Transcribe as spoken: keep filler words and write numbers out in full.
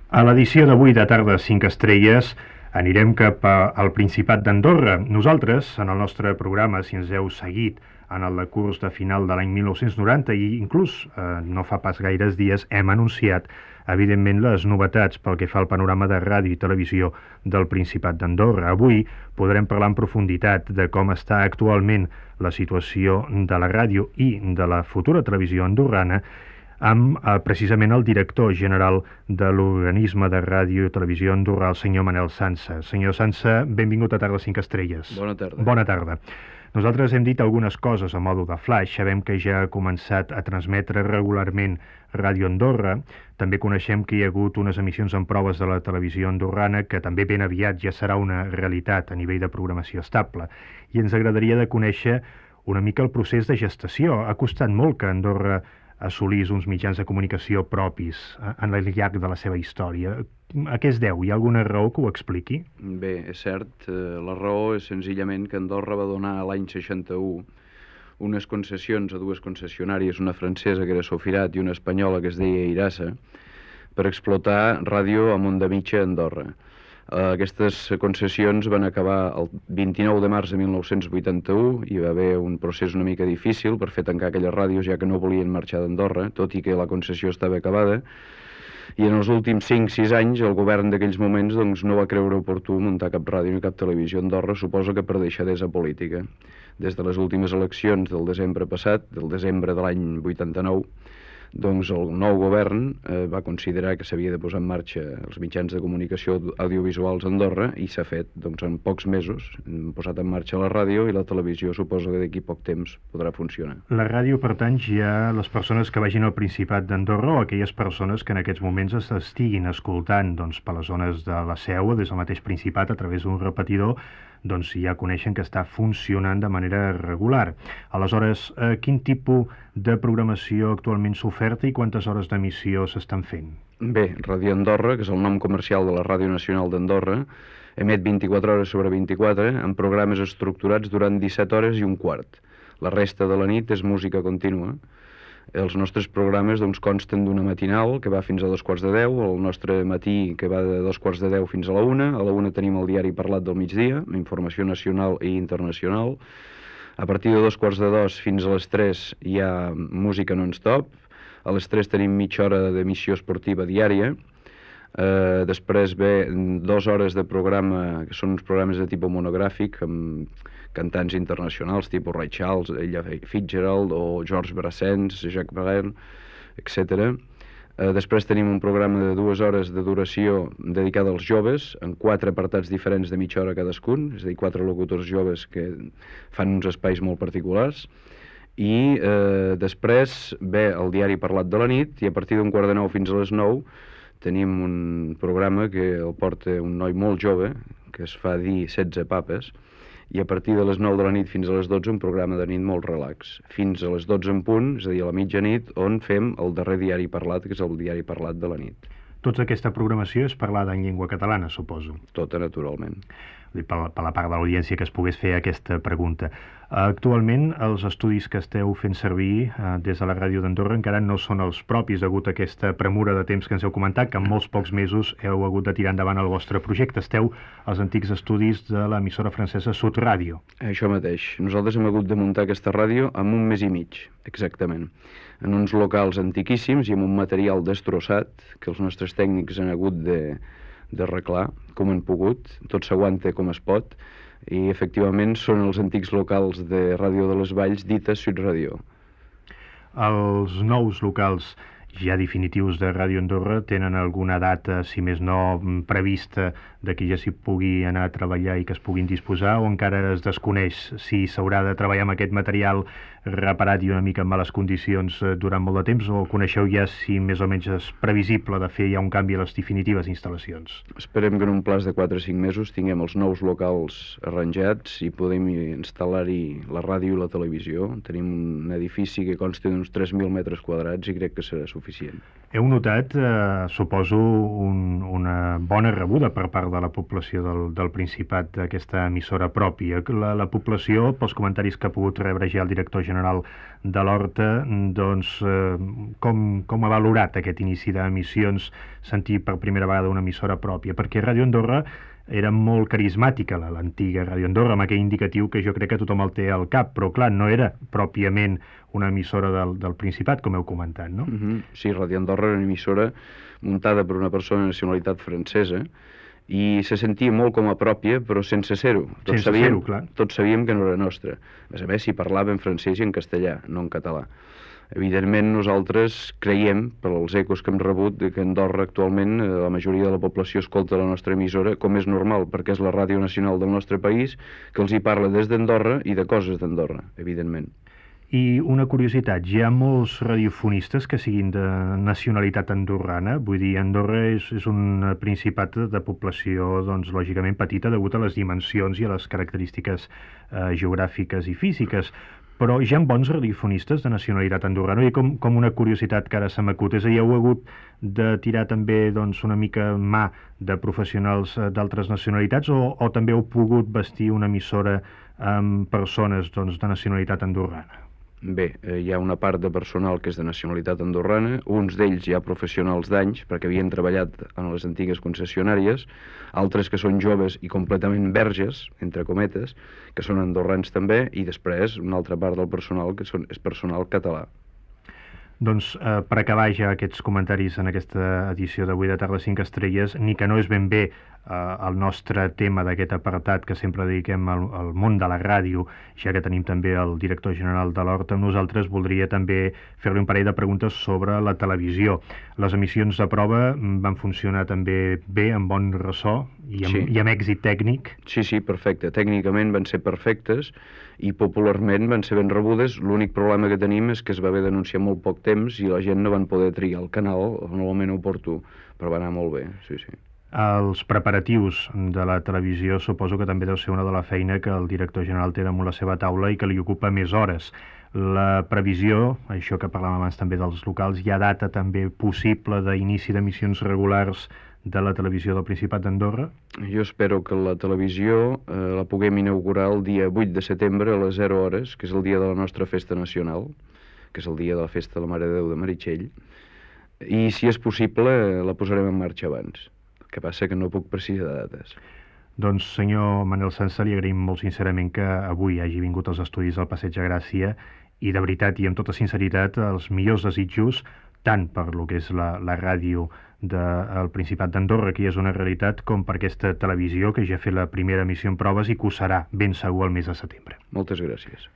A l'edició d'avui de Tarda cinc Estrelles anirem cap al Principat d'Andorra. Nosaltres, en el nostre programa, si ens heu seguit en el curs de final de l'any mil nou-cents noranta i inclús eh, no fa pas gaires dies, hem anunciat evidentment les novetats pel que fa al panorama de ràdio i televisió del Principat d'Andorra. Avui podrem parlar en profunditat de com està actualment la situació de la ràdio i de la futura televisió andorrana amb eh, precisament el director general de l'organisme de ràdio i televisió andorrà, el senyor Manel Sansa. Senyor Sansa, benvingut a Tarda cinc Estrelles. Bona tarda. Bona tarda. Nosaltres hem dit algunes coses a modo de flash. Sabem que ja ha començat a transmetre regularment Ràdio Andorra. També coneixem que hi ha hagut unes emissions en proves de la televisió andorrana que també ben aviat ja serà una realitat a nivell de programació estable. I ens agradaria de conèixer una mica el procés de gestació. Ha costat molt que Andorra assolís uns mitjans de comunicació propis en el llarg de la seva història. A què es deu? Hi ha alguna raó que ho expliqui? Bé, és cert. La raó és senzillament que Andorra va donar l'any seixanta-u unes concessions a dues concessionàries, una francesa que era Sofirat i una espanyola que es deia Irasa, per explotar ràdio a Mondamitja, Andorra. Aquestes concessions van acabar el vint-i-nou de març de mil nou-cents vuitanta-u. Hi va haver un procés una mica difícil per fer tancar aquelles ràdios, ja que no volien marxar d'Andorra, tot i que la concessió estava acabada. I en els últims cinc sis anys el govern d'aquells moments doncs, no va creure oportú muntar cap ràdio ni cap televisió a Andorra, suposo que per deixadesa política. Des de les últimes eleccions del desembre passat, del desembre de l'any vuitanta-nou, doncs el nou govern eh, va considerar que s'havia de posar en marxa els mitjans de comunicació audiovisuals a Andorra i s'ha fet, doncs en pocs mesos hem posat en marxa la ràdio i la televisió suposo que d'aquí poc temps podrà funcionar. La ràdio, per tant, ja les persones que vagin al Principat d'Andorra o aquelles persones que en aquests moments estiguin escoltant doncs, per les zones de la Seu o des del mateix Principat a través d'un repetidor, doncs ja coneixen que està funcionant de manera regular. Aleshores, eh, quin tipus de programació actualment s'oferta i quantes hores d'emissió s'estan fent? Bé, Ràdio Andorra, que és el nom comercial de la Ràdio Nacional d'Andorra, emet vint-i-quatre hores sobre vint-i-quatre amb programes estructurats durant disset hores i un quart. La resta de la nit és música contínua. Els nostres programes doncs, consten d'una matinal que va fins a dos quarts de deu, el nostre matí que va de dos quarts de deu fins a la una, a la una tenim el diari parlat del migdia, informació nacional i internacional, a partir de dos quarts de dos fins a les tres hi ha música non-stop, a les tres tenim mitja hora d'emissió esportiva diària, eh, després ve dues hores de programa, que són uns programes de tipus monogràfic, amb cantants internacionals, tipus Ray Charles, Ella Fitzgerald o Georges Brassens, Jacques Brel, etcètera. Eh, després tenim un programa de dues hores de duració dedicat als joves, en quatre apartats diferents de mitja hora cadascun, és a dir, quatre locutors joves que fan uns espais molt particulars. I eh, després ve el diari parlat de la nit i a partir d'un quart de nou fins a les nou tenim un programa que el porta un noi molt jove, que es fa dir setze papes, i a partir de les nou de la nit fins a les dotze un programa de nit molt relax. Fins a les dotze en punt, és a dir, a la mitjanit, on fem el darrer diari parlat, que és el diari parlat de la nit. Tota aquesta programació és parlada en llengua catalana, suposo? Tota, naturalment. Per, per la part de l'audiència que es pogués fer aquesta pregunta. Actualment, els estudis que esteu fent servir eh, des de la Ràdio d'Andorra encara no són els propis, degut a aquesta premura de temps que ens heu comentat, que en molts pocs mesos heu hagut de tirar endavant el vostre projecte. Esteu als antics estudis de l'emissora francesa Sud Ràdio. Això mateix. Nosaltres hem hagut de muntar aquesta ràdio en un mes i mig, exactament. En uns locals antiquíssims i amb un material destrossat que els nostres tècnics han hagut de, de arreglar com han pogut. Tot s'aguanta com es pot. I efectivament són els antics locals de Ràdio de les Valls dites Sud Ràdio. Els nous locals ja definitius de Ràdio Andorra tenen alguna data, si més no prevista, de que ja s'hi pugui anar a treballar i que es puguin disposar, o encara es desconeix si s'haurà de treballar amb aquest material reparat i una mica en males condicions durant molt de temps, o coneixeu ja si més o menys és previsible de fer ja un canvi a les definitives instal·lacions? Esperem que en un plaç de quatre o cinc mesos tinguem els nous locals arranjats i podem instal·lar-hi la ràdio i la televisió. Tenim un edifici que consta d'uns tres mil metres quadrats i crec que serà suficient. suficient. Heu notat, eh, suposo, un, una bona rebuda per part de la població del, del Principat d'aquesta emissora pròpia. La, la població, pels comentaris que ha pogut rebre ja el director general de l'Horta, doncs, eh, com, com ha valorat aquest inici d'emissions, sentir per primera vegada una emissora pròpia? Perquè Ràdio Andorra era molt carismàtica, l'antiga Ràdio Andorra, amb aquell indicatiu que jo crec que tothom el té al cap, però clar, no era pròpiament una emissora del, del Principat, com heu comentat, no? Mm-hmm. Sí, Ràdio Andorra era una emissora muntada per una persona de nacionalitat francesa i se sentia molt com a pròpia, però sense ser-ho. Tots sense sabíem, ser-ho, clar. Tots sabíem que no era nostra. A més a més, s'hi parlava en francès i en castellà, no en català. Evidentment, nosaltres creiem, per als ecos que hem rebut, que Andorra actualment la majoria de la població escolta la nostra emissora, com és normal, perquè és la ràdio nacional del nostre país, que els hi parla des d'Andorra i de coses d'Andorra, evidentment. I una curiositat, hi ha molts radiofonistes que siguin de nacionalitat andorrana? Vull dir, Andorra és, és un principat de població, doncs, lògicament petita, degut a les dimensions i a les característiques eh, geogràfiques i físiques, però hi ha bons radiofonistes de nacionalitat andorrana, i com, com una curiositat que ara se m'acut, és a dir, heu hagut de tirar també doncs, una mica mà de professionals d'altres nacionalitats, o, o també heu pogut vestir una emissora amb persones doncs, de nacionalitat andorrana? Bé, eh, hi ha una part de personal que és de nacionalitat andorrana, uns d'ells ja professionals d'anys, perquè havien treballat en les antigues concessionàries, altres que són joves i completament verges, entre cometes, que són andorrans també, i després una altra part del personal que són, és personal català. Doncs eh, per acabar ja aquests comentaris en aquesta edició d'avui de Tarda cinc Estrelles, ni que no és ben bé eh, el nostre tema d'aquest apartat que sempre dediquem al, al món de la ràdio, ja que tenim també el director general de l'Horta, nosaltres voldria també fer-li un parell de preguntes sobre la televisió. Les emissions de prova van funcionar també bé, amb bon ressò i amb, sí. i amb èxit tècnic? Sí, sí, perfecte. Tècnicament van ser perfectes i popularment van ser ben rebudes. L'únic problema que tenim és que es va haver d'anunciar molt poc temps i la gent no van poder triar el canal en el moment oportú, però va anar molt bé, sí, sí. Els preparatius de la televisió suposo que també deu ser una de la feina que el director general té damunt la seva taula i que li ocupa més hores. La previsió, això que parlàvem abans també dels locals, hi ha data també possible d'inici d'emissions regulars de la televisió del Principat d'Andorra? Jo espero que la televisió eh, la puguem inaugurar el dia vuit de setembre a les zero hores, que és el dia de la nostra festa nacional, que és el dia de la festa de la Mare de Déu de Meritxell, i si és possible la posarem en marxa abans. El que passa que no puc precisar dates. Doncs, senyor Manel Sansa, li agraïm molt sincerament que avui hagi vingut als estudis del Passeig de Gràcia i, de veritat i amb tota sinceritat, els millors desitjos, tant per lo que és la, la ràdio del Principat d'Andorra, que és una realitat, com per aquesta televisió que ja ha fet la primera emissió en proves i que ho serà ben segur el mes de setembre. Moltes gràcies.